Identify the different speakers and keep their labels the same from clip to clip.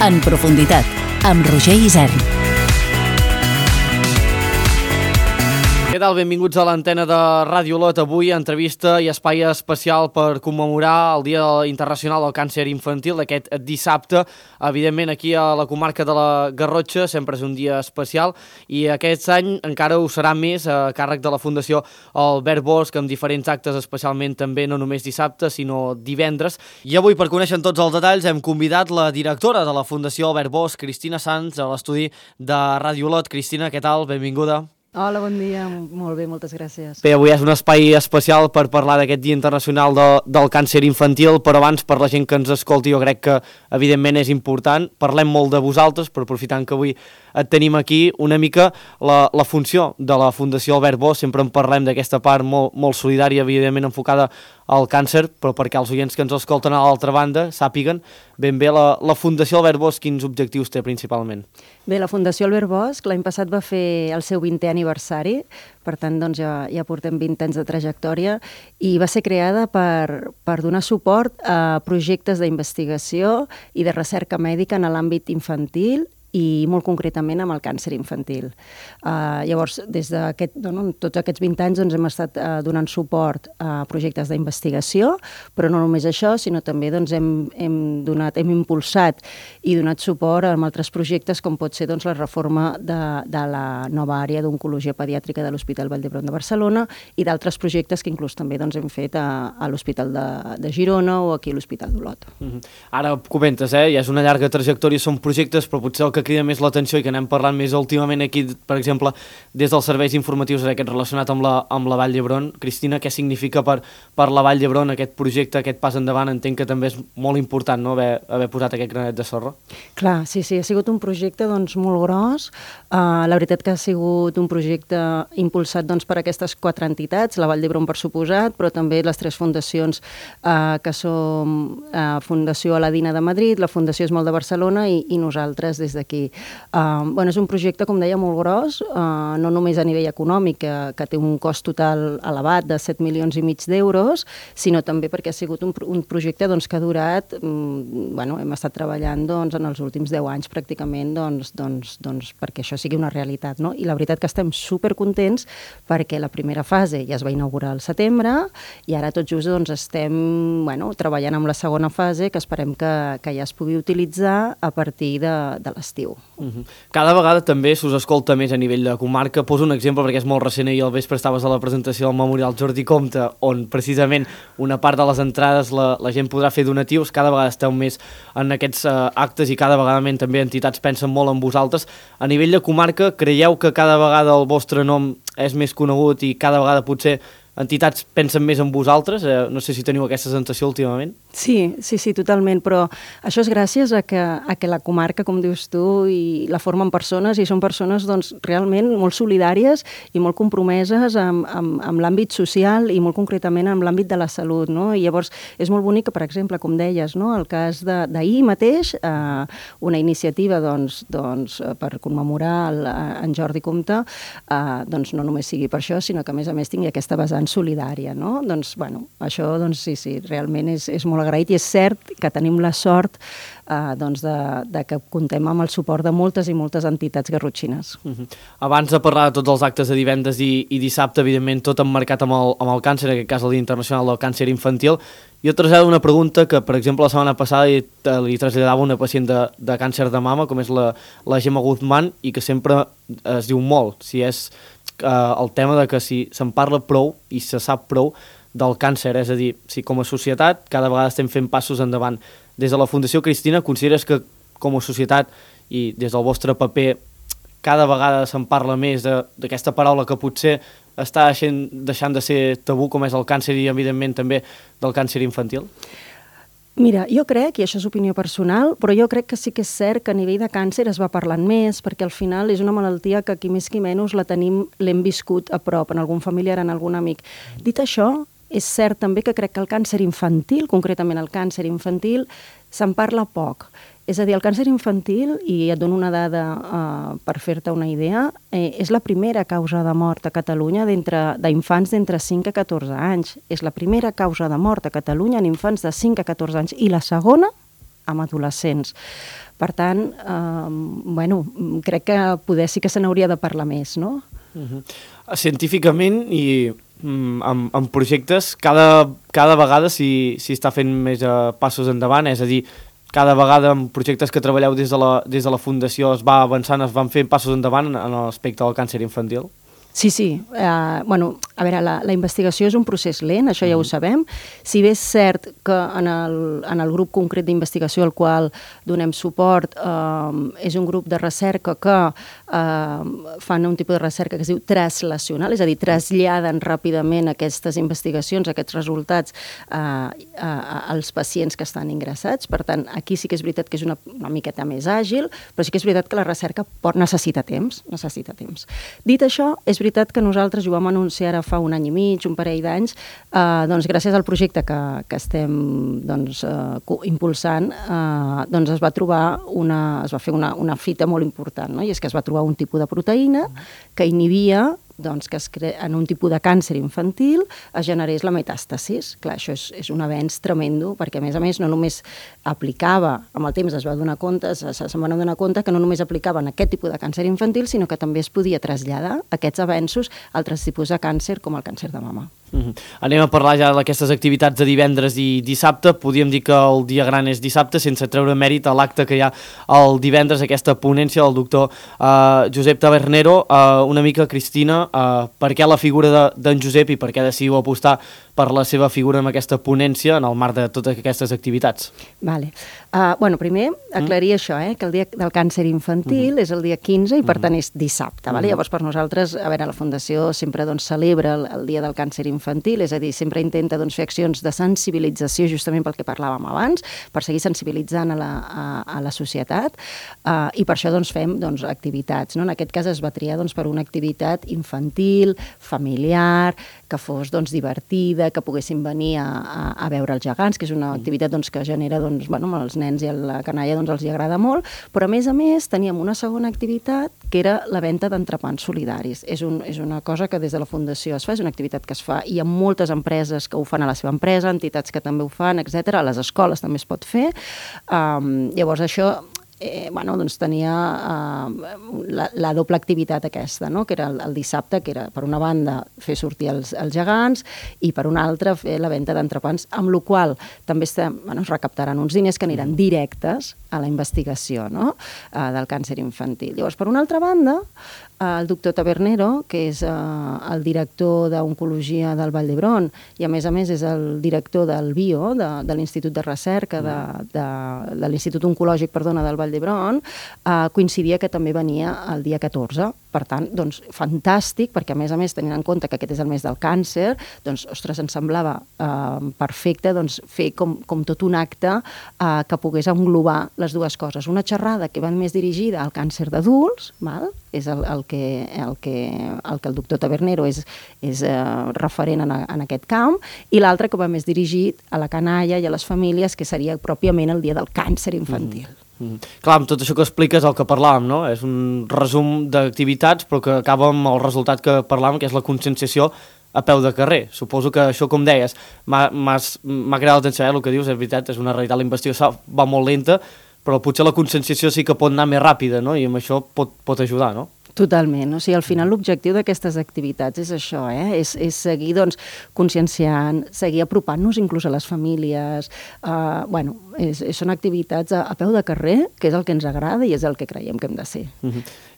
Speaker 1: En profunditat, amb Roger Isern.
Speaker 2: Què tal? Benvinguts a l'antena de Ràdio Olot. Avui entrevista i espai especial per commemorar el Dia Internacional del Càncer Infantil d'aquest dissabte. Evidentment aquí a la comarca de la Garrotxa sempre és un dia especial i aquest any encara ho serà més a càrrec de la Fundació Albert Bosch amb diferents actes, especialment també no només dissabte sinó divendres. I avui, per conèixer tots els detalls, hem convidat la directora de la Fundació Albert Bosch, Cristina Sanz, a l'estudi de Ràdio Olot. Cristina, què tal? Benvinguda.
Speaker 3: Hola, bon dia. Molt bé, moltes gràcies.
Speaker 2: Bé, avui és un espai especial per parlar d'aquest Dia Internacional del Càncer Infantil, però abans, per la gent que ens escolti, jo crec que evidentment és important. Parlem molt de vosaltres, però aprofitant que avui et tenim aquí, una mica la funció de la Fundació Albert Bosch. Sempre en parlem d'aquesta part molt solidària, evidentment enfocada al càncer, però perquè els oients que ens escolten a l'altra banda sàpiguen ben bé la Fundació Albert Bosch quins objectius té principalment.
Speaker 3: Bé, la Fundació Albert Bosch l'any passat va fer el seu 20è aniversari, per tant doncs, ja portem 20 anys de trajectòria, i va ser creada per donar suport a projectes d'investigació i de recerca mèdica en l'àmbit infantil i molt concretament amb el càncer infantil. Llavors, des tots aquests 20 anys doncs, hem estat donant suport a projectes d'investigació, però no només això, sinó també doncs, hem impulsat i donat suport a altres projectes com pot ser doncs, la reforma de la nova àrea d'oncologia pediàtrica de l'Hospital Vall d'Hebron de Barcelona i d'altres projectes que inclús també doncs, hem fet a l'Hospital de Girona o aquí a l'Hospital d'Olot.
Speaker 2: Ara comentes, ja és una llarga trajectòria, són projectes, però potser el que crida més l'atenció i que anem parlant més últimament aquí, per exemple, des dels serveis informatius aquest relacionat amb la Vall d'Hebron. Cristina, què significa per la Vall d'Hebron aquest projecte, aquest pas endavant? Entenc que també és molt important, no?, haver posat aquest granet de sorra.
Speaker 3: Clar, sí, ha sigut un projecte doncs, molt gros. La veritat que ha sigut un projecte impulsat doncs, per aquestes 4 entitats, la Vall d'Hebron per suposat, però també les 3 fundacions que som Fundació Aladina de Madrid, la Fundació Esmol de Barcelona i nosaltres des d'aquí. És un projecte, com deia, molt gros, no només a nivell econòmic, que té un cost total elevat de 7,5 milions d'euros, sinó també perquè ha sigut un projecte doncs, que ha durat, hem estat treballant doncs, en els últims 10 anys pràcticament perquè això sigui una realitat. No? I la veritat que estem supercontents perquè la primera fase ja es va inaugurar al setembre i ara tot just doncs, estem treballant amb la segona fase que esperem que ja es pugui utilitzar a partir de l'estiu.
Speaker 2: Cada vegada també s'us escolta més a nivell de comarca. Poso un exemple perquè és molt recent. Ahir al vespre estaves a la presentació del Memorial Jordi Comte, on precisament una part de les entrades la gent podrà fer donatius. Cada vegada esteu més en aquests actes i cada vegada també entitats pensen molt en vosaltres. A nivell de comarca, creieu que cada vegada el vostre nom és més conegut i cada vegada potser entitats pensen més en vosaltres? No sé si teniu aquesta sensació últimament.
Speaker 3: Sí, totalment, però això és gràcies a que la comarca, com dius tu, i la formen persones, i són persones doncs, realment molt solidàries i molt compromeses amb l'àmbit social i molt concretament amb l'àmbit de la salut. No? I llavors és molt bonic que, per exemple, com deies, no? El cas d'ahir mateix, una iniciativa per commemorar en Jordi Comte, no només sigui per això, sinó que a més tingui aquesta vessant solidària, no? Això sí, realment és molt agraït i és cert que tenim la sort de que contem amb el suport de moltes i moltes entitats garrotxines.
Speaker 2: Abans de parlar de tots els actes de divendres i dissabte, evidentment tot emmarcat amb el càncer, en aquest cas el Dia Internacional del Càncer Infantil, jo trasllado una pregunta que, per exemple, la setmana passada li traslladava una pacient de càncer de mama, com és la Gemma Guzmán, i que sempre es diu molt, si és el tema de que si se'n parla prou i se sap prou del càncer, és a dir, si com a societat cada vegada estem fent passos endavant. Des de la Fundació, Cristina, consideres que com a societat i des del vostre paper cada vegada se'n parla més d'aquesta paraula que potser està deixant de ser tabú, com és el càncer i evidentment també del càncer infantil?
Speaker 3: Mira, jo crec, i això és opinió personal, però jo crec que sí que és cert que a nivell de càncer es va parlant més, perquè al final és una malaltia que qui més qui menys l'hem viscut a prop, en algun familiar, en algun amic. Dit això, és cert també que crec que el càncer infantil, concretament el càncer infantil, se'n parla poc. És a dir, el càncer infantil, i et dono una dada per fer-te una idea, és la primera causa de mort a Catalunya d'infants d'entre 5 a 14 anys. És la primera causa de mort a Catalunya en infants de 5 a 14 anys i la segona amb adolescents. Per tant, crec que poder sí que se n'hauria de parlar més, no?
Speaker 2: Científicament i en projectes, cada vegada s'hi està fent més passos endavant, és a dir, cada vegada en projectes que treballeu des de la Fundació es va avançant, es van fent passos endavant en l'aspecte del càncer infantil?
Speaker 3: Sí. A veure, la investigació és un procés lent, això ja ho sabem. Si bé és cert que en el grup concret d'investigació al qual donem suport és un grup de recerca que fan un tipus de recerca que es diu translacional, és a dir, traslladen ràpidament aquestes investigacions, aquests resultats als pacients que estan ingressats. Per tant, aquí sí que és veritat que és una miqueta més àgil, però sí que és veritat que la recerca necessita temps. Dit això, és veritat que nosaltres ho vam anunciar ara fa un any i mig, un parell d'anys, doncs gràcies al projecte que estem impulsant, doncs es va fer una fita molt important, no? I és que es va trobar un tipus de proteïna que inhibia que en un tipus de càncer infantil es generés la metàstasis. Clar, això és un avenç tremendo, perquè a més no només aplicava, amb el temps se'n van adonar compte que no només aplicava en aquest tipus de càncer infantil, sinó que també es podia traslladar aquests avenços a altres tipus de càncer, com el càncer de mama.
Speaker 2: Anem a parlar ja d'aquestes activitats de divendres i dissabte. Podríem dir que el dia gran és dissabte, sense treure mèrit a l'acte que hi ha el divendres, aquesta ponència del doctor Josep Tabernero. Una mica, Cristina, per què la figura d'en Josep i per què decidiu apostar per la seva figura en aquesta ponència en el marc de totes aquestes activitats?
Speaker 3: Vale. Primer, aclarir això, que el dia del càncer infantil és el dia 15 i per tant és dissabte. Llavors, per nosaltres, a veure, la Fundació sempre celebra el dia del càncer infantil, és a dir, sempre intenta fer accions de sensibilització, justament pel que parlàvem abans, per seguir sensibilitzant a la societat, i per això fem activitats. En aquest cas es va triar per una activitat infantil, familiar, que fos divertida, que poguessin venir a veure els gegants, que és una activitat que genera, als nens i a la canalla els hi agrada molt, però a més teníem una segona activitat que era la venda d'entrepans solidaris. És una cosa que des de la Fundació es fa, és una activitat que es fa, i hi ha moltes empreses que ho fan a la seva empresa, entitats que també ho fan, etc. A les escoles també es pot fer. Llavors això tenia la doble activitat aquesta, que era el dissabte, que era per una banda fer sortir els gegants i per una altra fer la venda d'entrepans, amb la qual també es recaptaran uns diners que aniran directes a la investigació del càncer infantil. Llavors, per una altra banda, el doctor Tabernero, que és el director d'Oncologia del Vall d'Hebron i a més és el director del BIO, de l'Institut de Recerca de l'Institut Oncològic, del Vall d'Hebron, coincidia que també venia el dia 14. Per tant, fantàstic, perquè a més tenint en compte que aquest és el mes del càncer, ostres, ens semblava perfecte fer com tot un acte que pogués englobar les dues coses. Una xerrada que va més dirigida al càncer d'adults, és el que el doctor Tabernero és referent en aquest camp, i l'altre que va més dirigit a la canalla i a les famílies, que seria pròpiament el dia del càncer infantil.
Speaker 2: Clar, amb tot això que expliques el que parlàvem, no? És un resum d'activitats, però que acaba amb el resultat que parlàvem, que és la conscienciació a peu de carrer. Suposo que això, com deies, m'ha cridat l'atenció, el que dius, és veritat, és una realitat, la investigació va molt lenta, però potser la conscienciació sí que pot anar més ràpida, no? I amb això pot ajudar, no?
Speaker 3: Totalment. O sigui, al final l'objectiu d'aquestes activitats és això, és seguir conscienciant, seguir apropant-nos inclús a les famílies. Són activitats a peu de carrer, que és el que ens agrada i és el que creiem que hem de ser.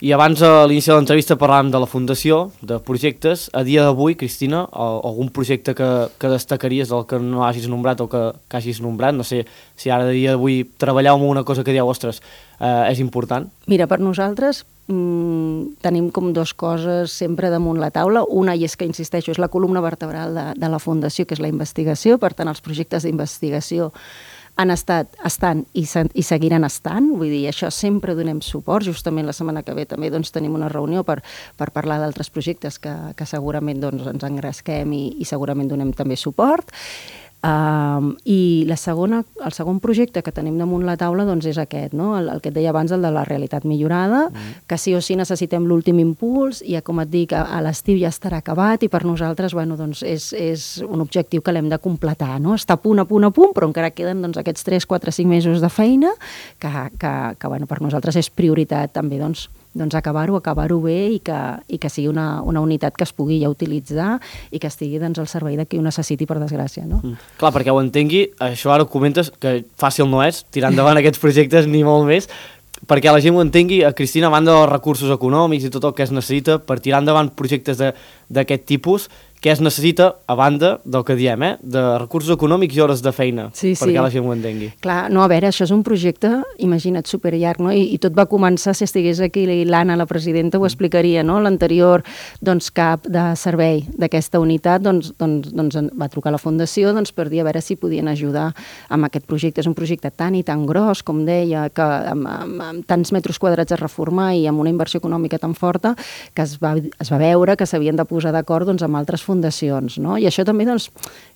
Speaker 2: I abans, a l'inici de l'entrevista, parlàvem de la Fundació, de projectes. A dia d'avui, Cristina, algun projecte que destacaries del que no hagis nombrat o que hagis nombrat? No sé si ara, a dia d'avui, treballeu en una cosa que dieu, ostres, és important?
Speaker 3: Mira, per nosaltres tenim com dues coses sempre damunt la taula. Una, i és que, insisteixo, és la columna vertebral de la Fundació, que és la investigació. Per tant, els projectes d'investigació estan i seguiran estant. Vull dir, això sempre donem suport. Justament la setmana que ve també tenim una reunió per parlar d'altres projectes que segurament ens engresquem i segurament donem també suport. I el segon projecte que tenim damunt la taula doncs, és aquest, no? El que et deia abans, el de la realitat millorada, que sí o sí necessitem l'últim impuls, i com et dic, a l'estiu ja estarà acabat, i per nosaltres doncs, és un objectiu que l'hem de completar, no? Està a punt, però encara queden doncs, aquests 3, 4, 5 mesos de feina que per nosaltres és prioritat també doncs acabar-ho bé i que sigui una unitat que es pugui ja utilitzar i que estigui doncs, al servei de qui ho necessiti, per desgràcia. No?
Speaker 2: Clar, perquè ho entengui, això ara ho comentes, que fàcil no és tirar endavant aquests projectes ni molt més, perquè la gent ho entengui, Cristina, a banda dels recursos econòmics i tot el que es necessita per tirar endavant projectes d'aquest tipus, què es necessita, a banda del que diem, de recursos econòmics i hores de feina, perquè la gent ho entengui.
Speaker 3: Clar, no, a veure, això és un projecte, imagina't, superllarg, no? I tot va començar, si estigués aquí l'Anna, la presidenta, ho explicaria, no? L'anterior cap de servei d'aquesta unitat doncs, va trucar a la Fundació per dir a veure si podien ajudar amb aquest projecte. És un projecte tan i tan gros, com deia, que amb tants metres quadrats a reformar i amb una inversió econòmica tan forta, que es va veure que s'havien de posar d'acord amb altres fundacions, no? I això també doncs,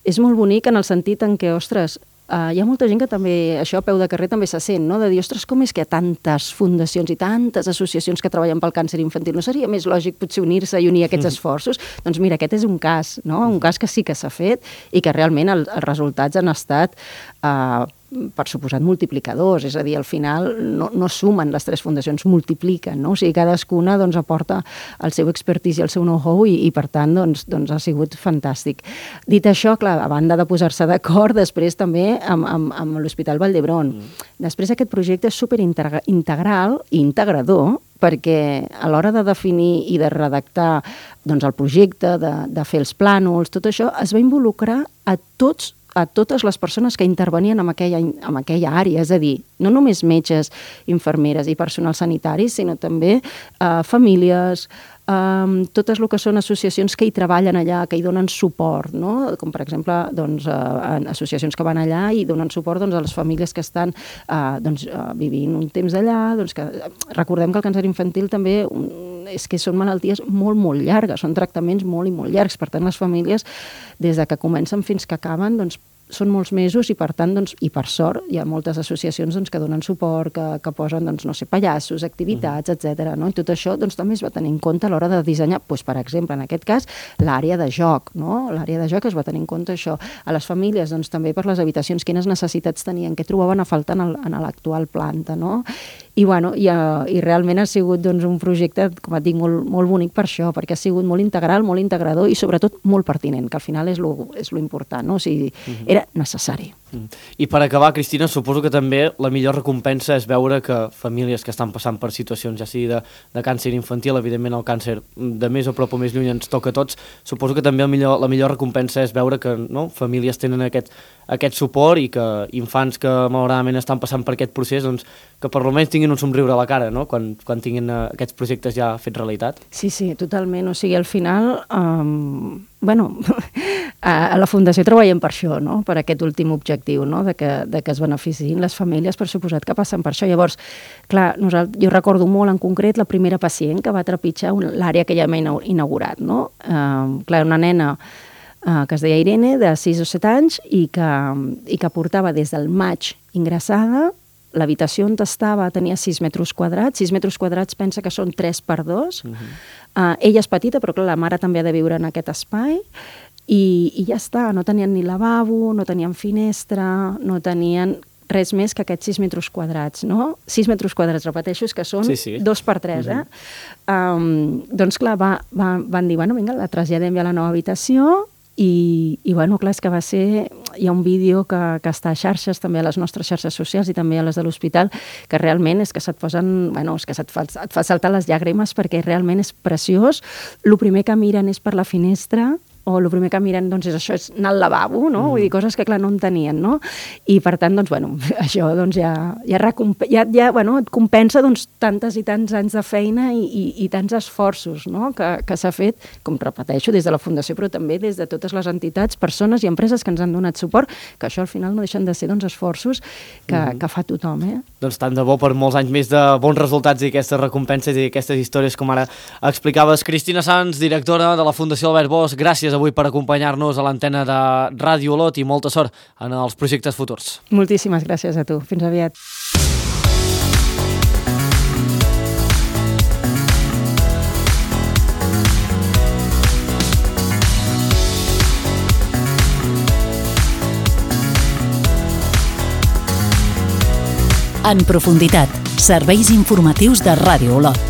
Speaker 3: és molt bonic en el sentit en què, ostres, hi ha molta gent que també, això a peu de carrer també se sent, no? De dir, ostres, com és que hi ha tantes fundacions i tantes associacions que treballen pel càncer infantil? No seria més lògic potser unir-se i unir aquests esforços? Doncs mira, aquest és un cas, no? Un cas que sí que s'ha fet i que realment els resultats han estat per suposat multiplicadors, és a dir, al final no sumen les 3 fundacions, multipliquen, no? O sigui, cadascuna doncs, aporta el seu expertise i el seu know-how i per tant doncs, ha sigut fantàstic. Dit això, clar, a banda de posar-se d'acord, després també amb l'Hospital Vall d'Hebron. Després aquest projecte és superintegral i integrador, perquè a l'hora de definir i de redactar doncs, el projecte, de fer els plànols, tot això es va involucrar a totes les persones que intervenien en aquella àrea, és a dir, no només metges, infermeres i personal sanitari, sinó també famílies, totes el que són associacions que hi treballen allà, que hi donen suport, no? Com per exemple doncs, associacions que van allà i donen suport doncs, a les famílies que estan vivint un temps allà. Doncs que, recordem que el càncer infantil també és que són malalties molt, molt llargues, són tractaments molt i molt llargs. Per tant, les famílies, des de que comencen fins que acaben, doncs, són molts mesos i per tant, doncs, i per sort, hi ha moltes associacions doncs, que donen suport, que posen, doncs, no sé, pallassos, activitats, etc. No? I tot això doncs, també es va tenir en compte a l'hora de dissenyar, doncs, per exemple, en aquest cas, l'àrea de joc, no? L'àrea de joc es va tenir en compte això. A les famílies, doncs, també per les habitacions, quines necessitats tenien, què trobaven a faltar en l'actual planta, no? I realment ha sigut doncs, un projecte, com et dic, molt bonic per això, perquè ha sigut molt integral, molt integrador i sobretot molt pertinent, que al final és lo important, no? O sigui, era necessari.
Speaker 2: I per acabar, Cristina, suposo que també la millor recompensa és veure que famílies que estan passant per situacions, ja sigui de càncer infantil, evidentment el càncer de més a prop o més lluny ens toca a tots, suposo que també la millor recompensa és veure que famílies tenen aquest suport i que infants que malauradament estan passant per aquest procés, doncs, que per almenys tinguin un somriure a la cara, no? Quan tinguin aquests projectes ja fets realitat.
Speaker 3: Sí, totalment. O sigui, al final, a la Fundació treballem per això, no? Per aquest últim objectiu, no? De que es beneficiïn les famílies, per suposat que passen per això. Llavors, clar, jo recordo molt en concret la primera pacient que va trepitjar l'àrea que ja hem inaugurat, no? Clar, una nena que es deia Irene, de 6 o 7 anys, i que portava des del maig ingressada. L'habitació on estava tenia 6 metres quadrats. 6 metres quadrats pensa que són 3 per 2. Ella és petita, però clar, la mare també ha de viure en aquest espai. I ja està, no tenien ni lavabo, no tenien finestra, no tenien res més que aquests 6 metres quadrats, no? 6 metres quadrats, repeteixo, és que són 2 per 3, Doncs clar, van dir, vinga, la traslladem ja a la nova habitació. I clar, és que va ser... Hi ha un vídeo que està a xarxes, també a les nostres xarxes socials i també a les de l'hospital, que realment és que se't posen... és que et fa saltar les llàgrimes perquè realment és preciós. El primer que miren és per la finestra, o el primer que miren doncs, és això, és anar al lavabo, no? Vull dir, coses que, clar, no en tenien, no? I, per tant, doncs, això doncs, ja et compensa doncs, tantes i tants anys de feina i tants esforços, no? Que s'ha fet, com repeteixo, des de la Fundació, però també des de totes les entitats, persones i empreses que ens han donat suport, que això al final no deixen de ser doncs, esforços que fa tothom,
Speaker 2: Doncs tant de bo per molts anys més de bons resultats i aquestes recompenses i aquestes històries, com ara explicaves. Cristina Sans, directora de la Fundació Albert Bosch, gràcies avui per acompanyar-nos a l'antena de Ràdio Olot i molta sort en els projectes futurs.
Speaker 3: Moltíssimes gràcies a tu. Fins aviat.
Speaker 1: En profunditat, serveis informatius de Ràdio Olot.